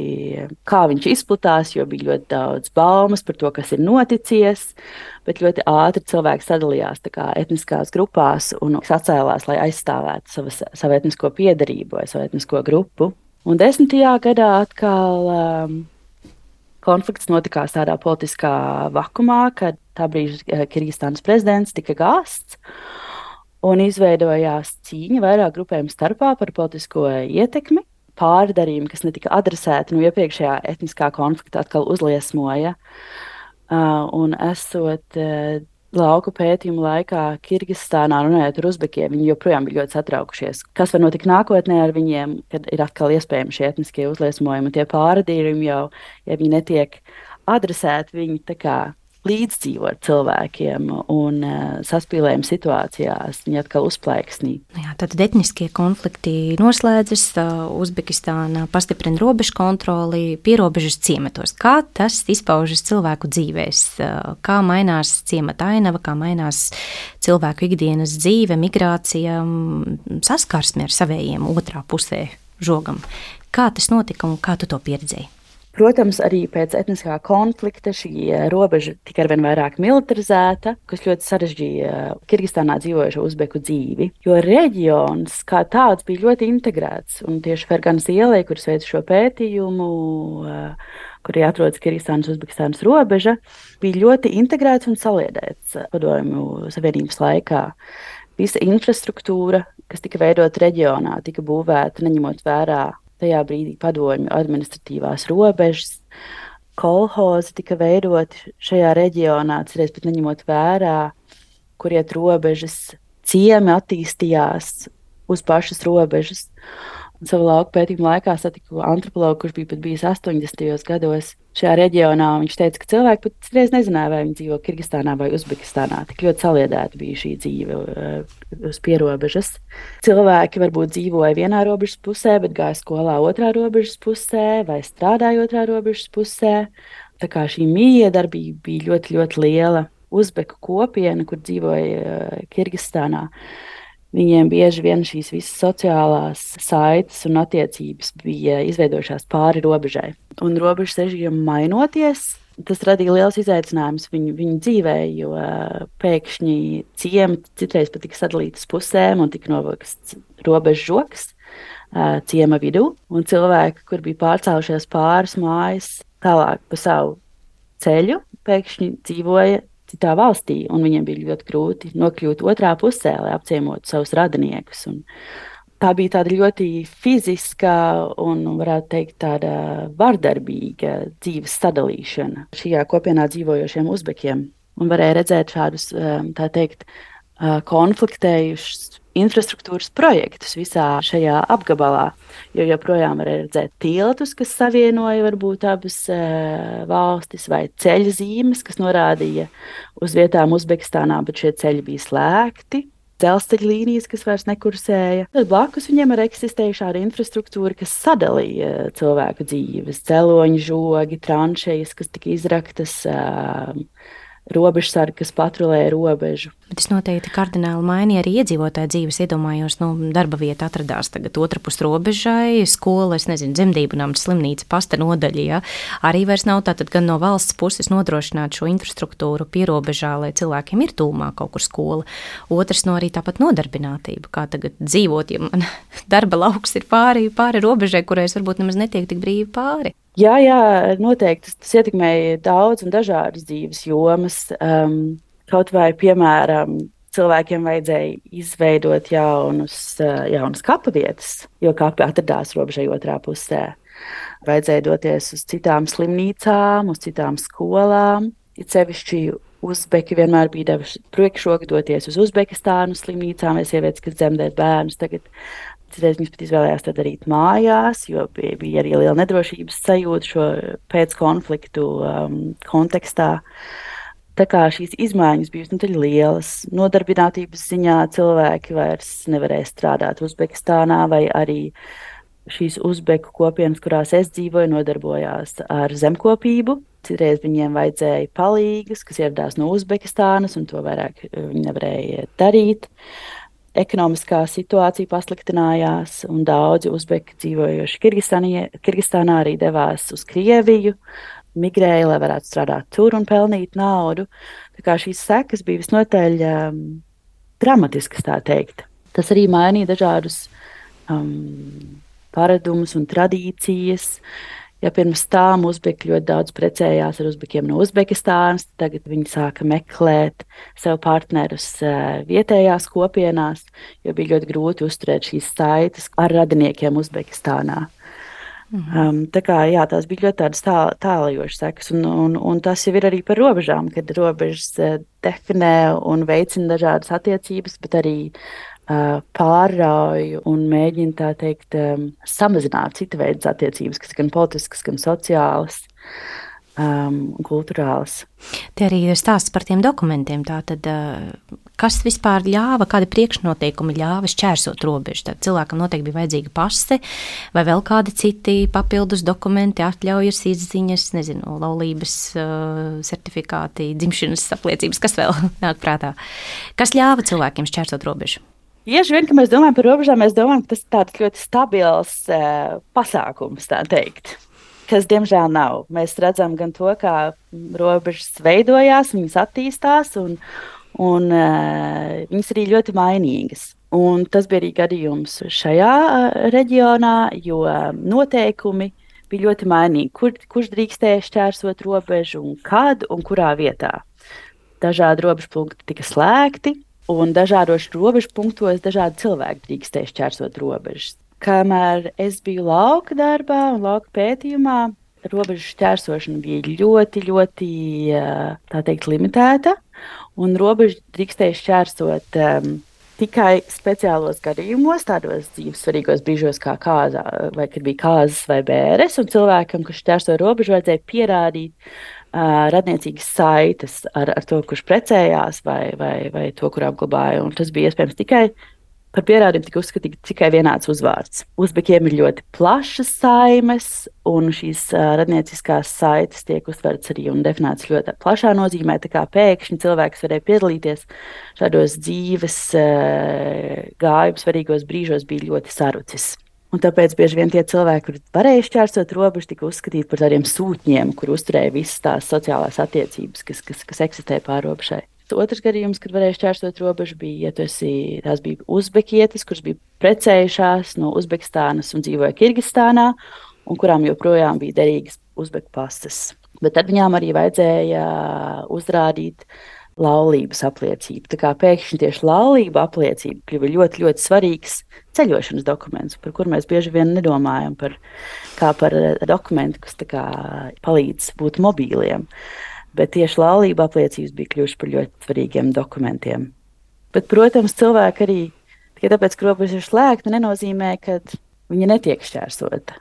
kā viņš izplatās, jo bija ļoti daudz baumas par to, kas ir noticies, bet ļoti ātri cilvēki sadalījās tā kā etniskās grupās un sacēlās, lai aizstāvētu savas, savu etnisko piederību vai savu etnisko grupu. Un desmitajā gadā atkal um, konflikts notikās tādā politiskā vakumā, kad tā brīža Kirgistānas prezidents tika gāsts, un izveidojās cīņa vairāk grupējumu starpā par politisko ietekmi. Pārdarījumi, kas netika adresēti no iepriekšējā etniskā konflikta, atkal uzliesmoja. Uh, un esot uh, lauku pētījumu laikā Kirgistānā runājot ar uzbekiem, viņi joprojām bija ļoti satraukušies. Kas var notikt nākotnē ar viņiem, kad ir atkal iespējami šie etniskie uzliesmojumi un tie pārdarījumi jau, ja viņi netiek adresēti, viņi tā kā līdzdzīvo ar cilvēkiem un uh, saspīlējuma situācijās, viņi atkal uzplaiksnī. Jā, tad etniskie konflikti noslēdzas, uh, Uzbekistāna pastiprina robežu kontroli, pierobežas ciematos. Kā tas izpaužas cilvēku dzīvēs? Uh, kā mainās ciemata ainava, kā mainās cilvēku ikdienas dzīve, migrācija, saskarsme ar savējiem otrā pusē žogam? Kā tas notika un kā tu to pieredzēji? Protams, arī pēc etniskā konflikta šī robeža tika arvien vairāk militarizēta, kas ļoti sarežģīja Kirgistānā dzīvojušo uzbeku dzīvi, jo reģions kā tāds bija ļoti integrēts. Un tieši Ferganas ielai, kuras veica šo pētījumu, kur atrodas Kirgistānas Uzbekistānas robeža, bija ļoti integrēts un saliedēts Padomju Savienības laikā. visa infrastruktūra, kas tika veidota reģionā, tika būvēta neņemot vērā tajā brīdī padomju administratīvās robežas. Kolhozi tika veidoti šajā reģionā, cerēs pat neņemot vērā, kur iet robežas, ciemi attīstījās uz pašas robežas. Un savu lauku pētījumu laikā satiku antropologu, kurš bija pat bijis astoņdesmitajos gados šajā reģionā. Viņš teica, ka cilvēki pat reiz nezināja, vai viņi dzīvo Kirgistānā vai Uzbekistānā. Tik ļoti saliedēta bija šī dzīve uz pierobežas. Cilvēki varbūt dzīvoja vienā robežas pusē, bet gāja skolā otrā robežas pusē vai strādāja otrā robežas pusē. Tā kā šī miedarbība bija ļoti, ļoti liela. Uzbeku kopiena, kur dzīvoja Kirgistānā. Viņiem bieži vien šīs visas sociālās saites un attiecības bija izveidojušās pāri robežai. Un robežas režīmam mainoties, tas radīja liels izaicinājums viņu, viņu dzīvē, jo pēkšņi ciemi citreiz pat tika sadalītas pusēm un tika novākts robežu žoks ciema vidū. Un cilvēki, kur bija pārcēlušies pāris mājas tālāk pa savu ceļu, pēkšņi dzīvoja citā valstī, un viņiem bija ļoti grūti nokļūt otrā pusē, lai apciemotu savus radiniekus. Un tā bija tāda ļoti fiziska un, varētu teikt, tāda vardarbīga dzīves sadalīšana šajā kopienā dzīvojošiem uzbekiem. Un varēja redzēt šādus, tā teikt, konfliktējušus infrastruktūras projektus visā šajā apgabalā, jo joprojām varēja redzēt tiltus, kas savienoja varbūt abas e, valstis, vai ceļa zīmes, kas norādīja uz vietām Uzbekistānā, bet šie ceļi bija slēgti. Dzelzceļa līnijas, kas vairs nekursēja. Tad blakus viņiem arī eksistēja šāda infrastruktūra, kas sadalīja cilvēku dzīves. Dzeloņu žogi, tranšejas, kas tika izraktas, e, robežsargi, kas patrulē robežu. Bet tas noteikti kardināli mainīja arī iedzīvotāju dzīves. Iedomājos, nu, darba vieta atradās tagad otrpus robežai, skola, es nezinu, dzemdību nams, slimnīca, pasta nodaļa, ja? Arī vairs nav tātad gan no valsts puses nodrošināt šo infrastruktūru pierobežā, lai cilvēkiem ir tūmā kaut kur skola. Otrs no arī tāpat nodarbinātība, kā tagad dzīvot, ja man darba lauks ir pāri, pāri robežai, kurai es varbūt nemaz netiek tik brīvi pāri. Jā, jā, noteikti tas, tas ietekmēja daudz un dažādas dzīves jomas. Um, kaut vai, piemēram, cilvēkiem vajadzēja izveidot jaunus, uh, jaunas kapa vietas, jo kapi atradās robežai otrā pusē. Vajadzēja doties uz citām slimnīcām, uz citām skolām. It sevišķi uzbeki vienmēr bija devuši priekšroku doties uz Uzbekistānu slimnīcām vai sievietes, kas dzemdēt bērnus. Tagad Citreiz viņas pat izvēlējās to darīt mājās, jo bija, bija arī liela nedrošības sajūta šo pēckonfliktu um, kontekstā. Tā kā šīs izmaiņas bija nu, lielas, nodarbinātības ziņā cilvēki vairs nevarēja strādāt Uzbekistānā, vai arī šīs uzbeku kopienas, kurās es dzīvoju, nodarbojās ar zemkopību. Citreiz viņiem vajadzēja palīgas, kas ieradās no Uzbekistānas, un to vairāk viņi nevarēja darīt. Ekonomiskā situācija pasliktinājās, un daudzi uzbeki dzīvojoši Kirgistānā arī devās uz Krieviju, migrēja, lai varētu strādāt tur un pelnīt naudu. Tā kā šīs sekas bija visnotaļ um, dramatiskas, tā teikt. Tas arī mainīja dažādus um, paradumus un tradīcijas. Ja pirms tam uzbeki ļoti daudz precējās ar uzbekiem no Uzbekistānas, tagad viņi sāka meklēt sev partnerus vietējās kopienās, jo bija ļoti grūti uzturēt šīs saites ar radiniekiem Uzbekistānā. Mhm. Um, tā kā, jā, tās bija ļoti tādas tā, tālajošas sekas, un, un, un tas jau ir arī par robežām, kad robežas definē un veicina dažādas attiecības, bet arī Uh, pārrauju un mēģina tā teikt um, samazināt cita veida attiecības, kas gan politiskas, gan sociālas um, un kulturālas. Te arī ir stāsts par tiem dokumentiem. Tātad, uh, kas vispār ļāva, kādi priekšnoteikumi ļāva šķērsot robežu? Tad cilvēkam noteikti bija vajadzīga pase vai vēl kādi citi papildus dokumenti, atļaujas, izziņas, nezinu, laulības uh, certifikāti, dzimšanas apliecības, kas vēl nāk prātā. Kas ļāva cilvēkiem šķērsot robežu? Bieži vien, kad mēs domājam par robežām, mēs domājam, ka tas ir tāds ļoti stabils uh, pasākums, tā teikt, kas diemžēl nav. Mēs redzam gan to, kā robežas veidojās, viņas attīstās, un, un uh, viņas arī ļoti mainīgas. Un tas bija arī gadījums šajā uh, reģionā, jo uh, noteikumi bija ļoti mainīgi. Kur, kurš drīkstēja šķērsot robežu un kad un kurā vietā. Dažādi robežpunkti tika slēgti. un dažādos robežu punktos dažādi cilvēki drīkstēja šķērsot robežas. Kamēr es biju lauka darbā un lauka pētījumā, robežu šķērsošana bija ļoti, ļoti, tā teikt, limitēta, un robežu drīkstēja šķērsot um, tikai speciālos gadījumos, tādos dzīves svarīgos brīžos, kā kāzā, vai kad bija kāzas vai bēres, un cilvēkam, kurš šķērso robežu, vajadzēja pierādīt uh, radniecīgas saites ar, ar to, kurš precējās vai, vai, vai to, kur apglabāja, un tas bija iespējams tikai par pierādījumu tika uzskatīts tikai vienāds uzvārds. Uzbekiem ir ļoti plašas saimes, un šīs uh, radnieciskās saites tiek uztverts arī un definētas ļoti plašā nozīmē, tā kā pēkšņi cilvēks varēja piedalīties šādos dzīves uh, gājuma svarīgos brīžos bija ļoti sarucis. Un tāpēc bieži vien tie cilvēki, kuri varēja šķērsot robežu, tika uzskatīti par tādiem sūtņiem, kur uzturēja visas tās sociālās attiecības, kas, kas, kas eksistē pārrobežai. Otrs gadījums, kad varēja šķērsot robežu, bija, ja tu esi, tās bija uzbekietis, kuras bija precējušās no Uzbekistānas un dzīvoja Kirgistānā, un kurām joprojām bija derīgas uzbeku pasas. Bet tad viņām arī vajadzēja uzrādīt laulības apliecību. Tā kā pēkšņi tieši laulība apliecība kļuva ļoti, ļoti svarīgs ceļošanas dokuments, par kur mēs bieži vien nedomājam par, kā par dokumentu, kas tā kā palīdz būt mobīliem. Bet tieši laulība apliecības bija kļuvušas par ļoti svarīgiem dokumentiem. Bet, protams, cilvēki arī, tikai tāpēc, ka robeža ir slēgta, nenozīmē, ka viņa netiek šķērsota.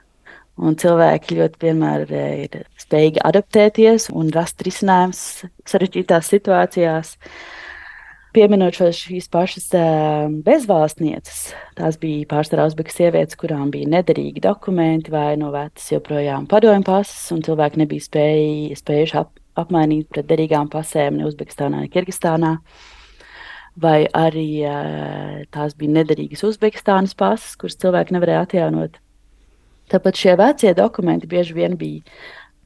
Un cilvēki ļoti vienmēr ir spējīgi adaptēties un rast risinājumus sarežģītās situācijās. Pieminot šīs pašas bezvalstnieces, tās bija pārsvarā uzbeku sievietes, kurām bija nederīgi dokumenti vai no vecas joprojām padomju pasas, un cilvēki nebija spēj, spējuši ap, apmainīt pret derīgām pasēm ne Uzbekistānā, ne Kirgistānā. Vai arī tās bija nederīgas Uzbekistānas pasas, kuras cilvēki nevarēja atjaunot. Tāpēc šie vecie dokumenti bieži vien bija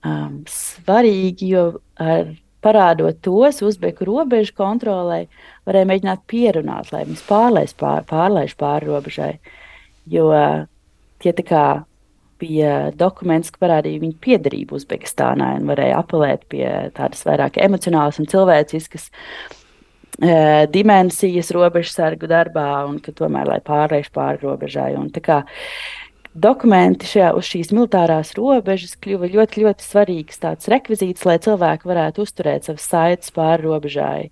um, svarīgi, jo ar parādot tos uzbeku robežu kontrolē, varēja mēģināt pierunāt, lai viņas pārlaiž pār, pārlaiž pāri robežai. Jo tie tā kā bija dokuments, ka parādīja viņu piederību Uzbekistānai un varēja apelēt pie tādas vairāk emocionālas un cilvēciskas e, dimensijas robežsargu darbā un ka tomēr, lai pārlaiž pāri robežai. Un tā kā dokumenti šajā, uz šīs militārās robežas kļuva ļoti, ļoti svarīgs tāds rekvizīts, lai cilvēki varētu uzturēt savas saites pāri robežai.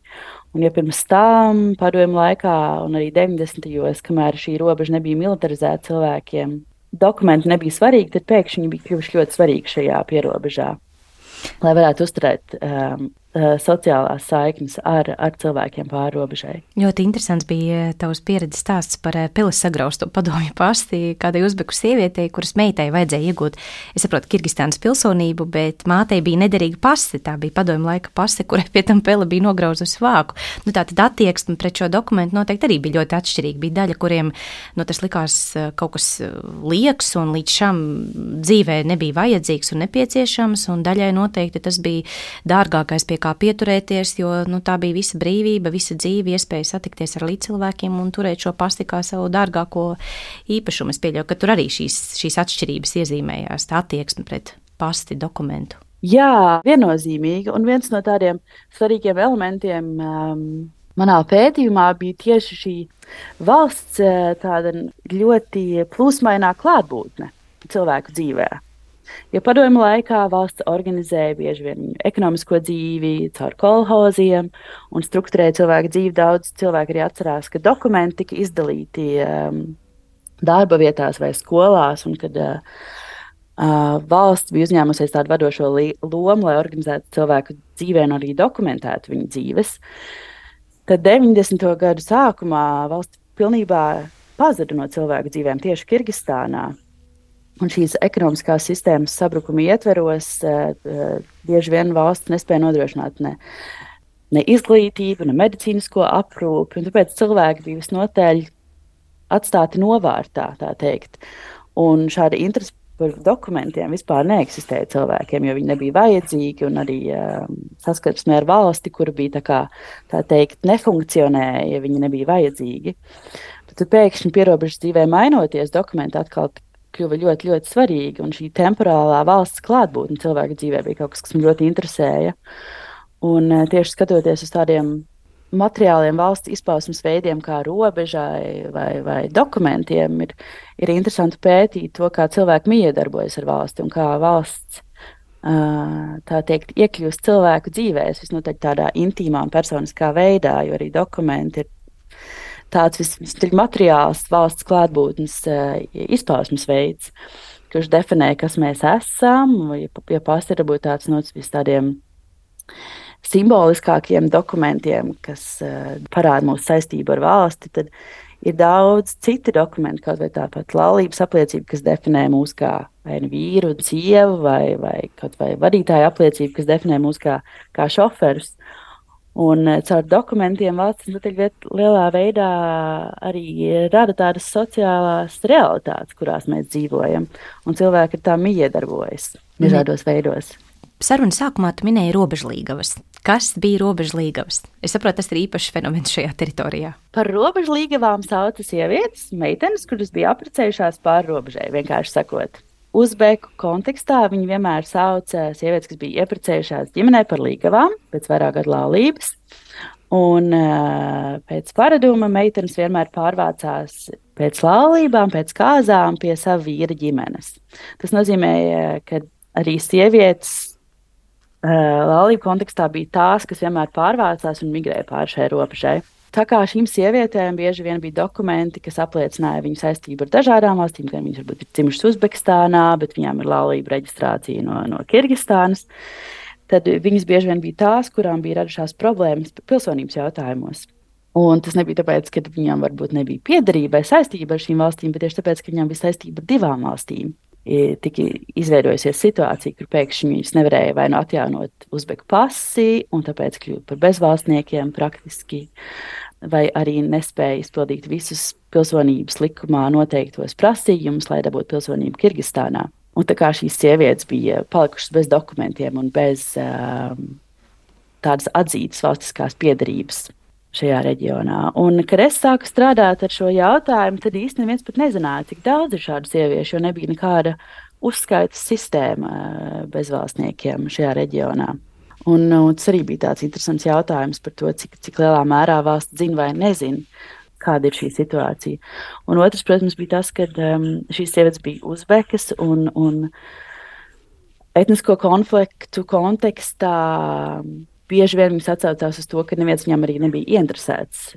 Un ja pirms tam, padomju laikā un arī deviņdesmitajos, kamēr šī robeža nebija militarizēta cilvēkiem, dokumenti nebija svarīgi, tad pēkšņi viņi bija kļuvuši ļoti svarīgi šajā pierobežā, lai varētu uzturēt um, sociālās saiknes ar, ar cilvēkiem pāri robežai. Ļoti interesants bija tavs pieredzes stāsts par pilis sagraustu padomju pasti kādai uzbeku sievietei, kuras meitai vajadzēja iegūt, es saprotu, Kirgistānas pilsonību, bet mātei bija nederīga pasti, tā bija padomju laika pasti, kurai pie tam pele bija nograuzusi vāku. Nu, tā tad attieksme pret šo dokumentu noteikti arī bija ļoti atšķirīga. Bija daļa, kuriem nu, tas likās kaut kas lieks un līdz šam dzīvē nebija vajadzīgs un nepieciešams, un daļai noteikti tas bija dārgākais, pie kā pieturēties, jo nu, tā bija visa brīvība, visa dzīve, iespēja satikties ar līdzcilvēkiem un turēt šo pasti kā savu dārgāko īpašumu. Es pieļauju, ka tur arī šīs, šīs atšķirības iezīmējās, tā attieksme pret pasti dokumentu. Jā, viennozīmīgi, un viens no tādiem svarīgiem elementiem um, manā pētījumā bija tieši šī valsts tāda ļoti plūsmainā klātbūtne cilvēku dzīvē. Jo padomju laikā valsts organizēja bieži vien ekonomisko dzīvi caur kolhoziem un strukturēja cilvēku dzīvi. Daudz cilvēku arī atcerās, ka dokumenti tika izdalīti um, darba vietās vai skolās, un kad uh, uh, valsts bija uzņēmusies tādu vadošo lomu, lai organizētu cilvēku dzīvē un arī dokumentētu viņu dzīves. Tad deviņdesmito gadu sākumā valsts pilnībā pazuda no cilvēku dzīvēm tieši Kirgistānā. Un šīs ekonomiskās sistēmas sabrukuma ietveros uh, bieži vien valsts nespēja nodrošināt ne, ne izglītību, ne medicīnisko aprūpi, un tāpēc cilvēki bija visnotaļ atstāti novārtā, tā teikt. Un šāda interese par dokumentiem vispār neeksistēja cilvēkiem, jo viņi nebija vajadzīgi, un arī um, saskarsmē ar valsti, kura bija tā kā, tā teikt, nefunkcionēja, ja viņi nebija vajadzīgi. Tad pēkšņi pierobežas dzīvē mainoties, dokumenti atkal kļuva ļoti, ļoti svarīgi, un šī temporālā valsts klātbūtne cilvēku dzīvē bija kaut kas, kas man ļoti interesēja. Un tieši skatoties uz tādiem materiāliem valsts izpausmes veidiem, kā robežai vai, vai dokumentiem, ir, ir interesanti pētīt to, kā cilvēki miedarbojas ar valsti un kā valsts, tā teikt, iekļūst cilvēku dzīvēs, visnotaļ tādā intīmā un personiskā veidā, jo arī dokumenti ir tāds visnotaļ materiāls valsts klātbūtnes izpausmes veids, kurš definē, kas mēs esam, ja, ja pasti ir varbūt tāds no tādiem simboliskākiem dokumentiem, kas uh, parāda mūsu saistību ar valsti, tad ir daudz citu dokumentu, kaut vai tāpat laulības apliecība, kas definē mūs kā vai vīru un sievu, vai, vai kaut vai vadītāja apliecība, kas definē mūs kā, kā šoferus. Un uh, caur dokumentiem valsts lielā veidā arī rada tādas sociālās realitātes, kurās mēs dzīvojam, un cilvēki ar tām iedarbojas dažādos veidos. Sarunas sākumā tu minēji robežlīgavas. Kas bija robežlīgavas? Es saprotu, tas ir īpašs fenomens šajā teritorijā. Par robežlīgavām sauca sievietes, meitenes, kuras bija apprecējušās pāri robežai, vienkārši sakot. Uzbeku kontekstā viņi vienmēr sauca sievietes, kas bija ieprecējušās ģimenē par līgavām, pēc vairāk gadu laulības. Un pēc paraduma meitenes vienmēr pārvācās pēc laulībām, pēc kāzām pie sava vīra ģimenes. Tas nozīmē, ka arī sievietes laulību kontekstā bija tās, kas vienmēr pārvācās un migrēja pāri šai robežai. Tā kā šīm sievietēm bieži vien bija dokumenti, kas apliecināja viņu saistību ar dažādām valstīm, gan viņas varbūt ir dzimušas Uzbekistānā, bet viņām ir laulība reģistrācija no, no Kirgistānas, tad viņas bieži vien bija tās, kurām bija radušās problēmas pilsonības jautājumos. Un tas nebija tāpēc, ka viņām varbūt nebija piederība vai saistība ar šīm valstīm, bet tieši tāpēc, ka viņām bija saistība ar divām valstīm. Tika izveidojusies situācija, kur pēkšņi viņas nevarēja vai nu atjaunot uzbeku pasi, un tāpēc kļūt par bezvalstniekiem praktiski, vai arī nespēja izpildīt visus pilsonības likumā noteiktos prasījumus, lai dabūtu pilsonību Kirgistānā. Un tā kā šīs sievietes bija palikušas bez dokumentiem un bez um, tādas atzītas valstiskās piederības šajā reģionā. Un, kad es sāku strādāt ar šo jautājumu, tad īsti neviens pat nezināja, cik daudz ir šādu sieviešu, jo nebija nekāda uzskaitas sistēma bezvalstniekiem šajā reģionā. Un, un tas arī bija tāds interesants jautājums par to, cik, cik lielā mērā valsts zina vai nezina, kāda ir šī situācija. Un otrs, protams, bija tas, ka um, šīs sievietes bija uzbekas un, un etnisko konfliktu kontekstā bieži vien viņas atsaucās uz to, ka neviens viņam arī nebija ieinteresēts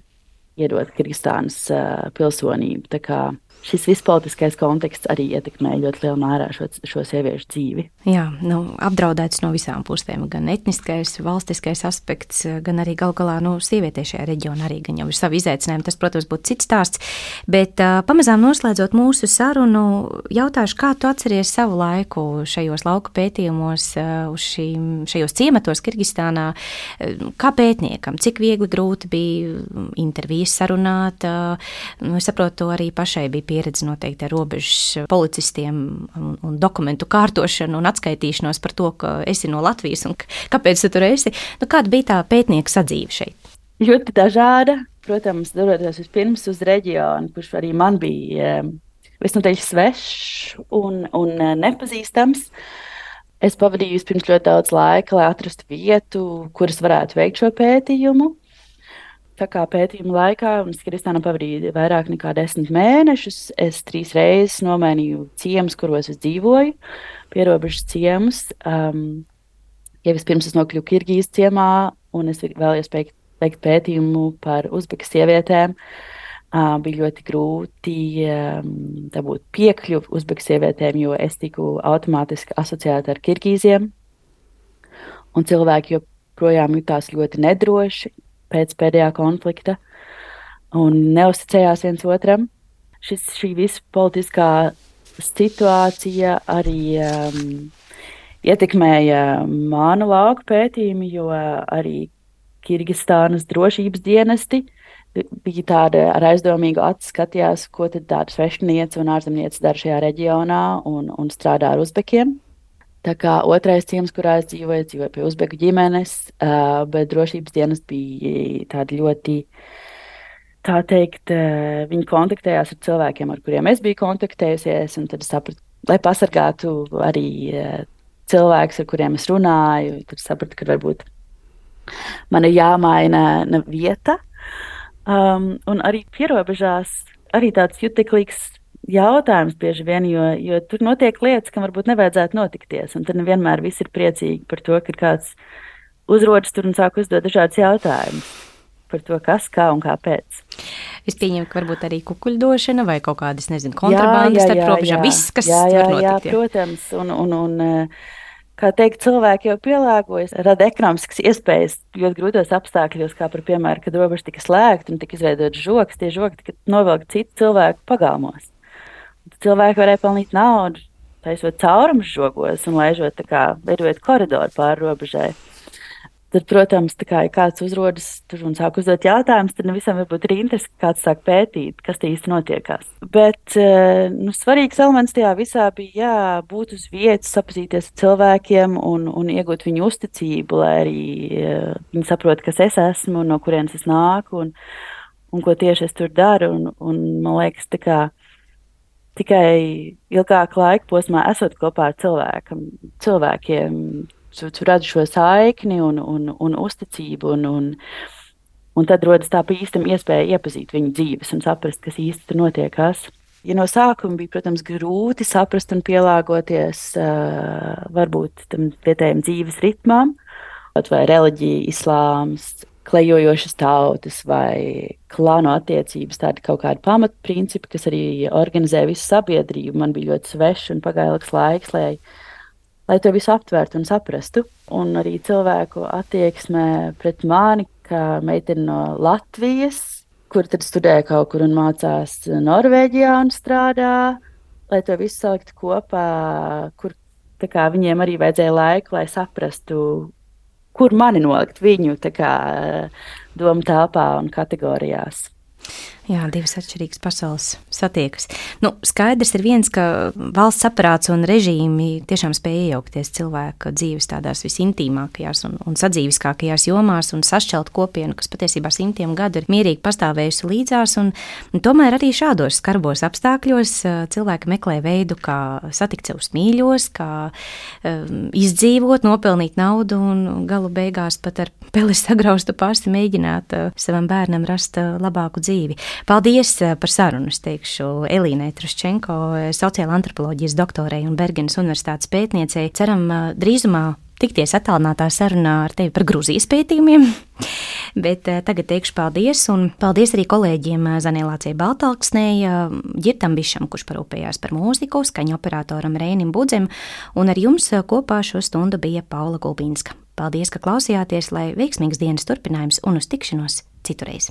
iedot Kirgistānas uh, pilsonību. Tā kā šis vispolitiskais konteksts arī ietekmē ļoti lielā mērā šo, šo sieviešu dzīvi. Jā, nu, apdraudēts no visām pusēm. Gan etniskais, valstiskais aspekts, gan arī gal galā nu, sievietē šajā reģionā arī gan jau ir savi izaicinājumi. Tas, protams, būtu cits stāsts. Bet uh, pamazām noslēdzot mūsu sarunu, jautāšu, kā tu atceries savu laiku šajos lauku pētījumos, uh, uz šīm, šajos ciematos Kirgistānā, uh, kā pētniekam, cik viegli grūti bija intervijas sarunāt. Uh, es saprotu, arī pašai bija pieredze noteikti ar robežas policistiem un, un dokumentu kārtošanu un atskaitīšanos par to, ka esi no Latvijas un kāpēc tu tur esi. Nu, kāda bija tā pētnieka sadzīve šeit? Ļoti dažāda. Protams, dodoties vispirms uz reģionu, kurš arī man bija visnotaļ svešs un, un nepazīstams. Es pavadīju vispirms ļoti daudz laika, lai atrastu vietu, kuras varētu veikt šo pētījumu. Tā kā pētījuma laikā, un es Kirgistānā pavadīju vairāk nekā desmit mēnešus, es trīs reizes nomainīju ciemus, kuros es dzīvoju, pierobežas ciemus. Um, ja vispirms es nokļuvu Kirgīzes ciemā, un es vēlējos veikt, veikt pētījumu par uzbekas sievietēm, uh, bija ļoti grūti um, dabūt piekļuvi uzbekas sievietēm, jo es tiku automātiski asociēta ar Kirgīziem, un cilvēki joprojām jutās ļoti nedroši pēc pēdējā konflikta un neusticējās viens otram. Šis, šī visa politiskā situācija arī um, ietekmēja manu lauku pētījumu, jo arī Kirgistānas drošības dienesti bija tāda ar aizdomīgu acu skatījās, ko tad tāda svešiniece un ārzemniece dara šajā reģionā un, un strādā ar uzbekiem. Tā kā otrais ciems, kurā es dzīvoju, es dzīvoju pie uzbeku ģimenes, uh, bet drošības dienas bija tādi ļoti, tā teikt, uh, viņi kontaktējās ar cilvēkiem, ar kuriem es biju kontaktējusies, un tad es sapratu, lai pasargātu arī uh, cilvēkus, ar kuriem es runāju, tad sapratu, ka varbūt man ir jāmaina vieta. Um, un arī pierobežās arī tāds juteklīgs jautājums bieži vien, jo, jo tur notiek lietas, kam varbūt nevajadzētu notikties. Un tad nevienmēr visi ir priecīgi par to, ka kāds uzrodas tur un sāk uzdot dažādus jautājumus par to, kas, kā un kāpēc. Es pieņemu, ka varbūt arī kukuļdošana vai kaut kādas, nezinu, kontrabandas starp robežām, viss, kas jā, jā, var notikt. Jā, jā, protams. Un, un, un, kā teikt, cilvēki jau pielāgojas, rada ekonomiskas iespējas ļoti grūtos apstākļos, kā par piemēru, kad robeža tika slēgta un tika izveidotas žogas, tie žogi tika novilkti citu cilvēku pagalmos. Cilvēki varēja pelnīt naudu, taisot caurumus žogos un laižot tā kā veidojot koridoru pāri robežai. Tad, protams, tā kā ja kāds uzrodas tur un sāk uzdot jautājumus, tad nevisam varbūt ir interesi, ka kāds sāk pētīt, kas te īsti notiekās. Bet nu, svarīgs elements tajā visā bija jā, būt uz vietas, sapazīties ar cilvēkiem un, un iegūt viņu uzticību, lai arī viņi saprot, kas es esmu un no kurienes es nāku un, un ko tieši es tur daru. Un, un man liekas, tā kā tikai ilgāku laiku posmā esot kopā ar cilvēkam, cilvēkiem, tu, tu redzi šo saikni un, un, un uzticību, un, un, un tad rodas tā īstam iespēja iepazīt viņu dzīves un saprast, kas īsti tur notiekās. Ja no sākuma bija, protams, grūti saprast un pielāgoties uh, varbūt tam vietējiem dzīves ritmām, vai reliģija, islāms, klejojošas tautas vai klānu attiecības, tādi kaut kādi pamatprincipi, kas arī organizē visu sabiedrību. Man bija ļoti svešs un pagāja ilgs laiks, lai, lai to visu aptvērtu un saprastu. Un arī cilvēku attieksmē pret mani, kā meiteni no Latvijas, kur tad studēja kaut kur un mācās Norvēģijā un strādā, lai to visu salikt kopā, kur tā kā viņiem arī vajadzēja laiku, lai saprastu, kur mani nolikt viņu tā kā domu telpā un kategorijās. Jā, divas atšķirīgas pasaules satiekas. Nu, skaidrs ir viens, ka valsts aparāts un režīmi tiešām spēj iejaukties cilvēka dzīves tādās visintīmākajās un, un sadzīviskākajās jomās un sašķelt kopienu, kas patiesībā simtiem gadu ir mierīgi pastāvējusi līdzās. Un, un tomēr arī šādos skarbos apstākļos cilvēki meklē veidu, kā satikt savus mīļos, kā um, izdzīvot, nopelnīt naudu un galu beigās pat ar peli sagraustu pasti mēģināt uh, savam bērnam rast uh, labāku dzīvi. Paldies par sarunu, es teikšu Elīnai Truščenko, sociāla antropoloģijas doktorei un Bergenas universitātes pētniecei. Ceram drīzumā tikties attālinātā sarunā ar tevi par Gruzijas pētījumiem. Bet tagad teikšu paldies, un paldies arī kolēģiem Zanēlācijai Baltalksnei, Ģirtam Bišam, kurš parūpējās par mūziku, skaņu operatoram Reinim Budzem, un ar jums kopā šo stundu bija Paula Gulbīnska. Paldies, ka klausījāties, lai veiksmīgs dienas turpinājums un uz tikšanos citurreiz.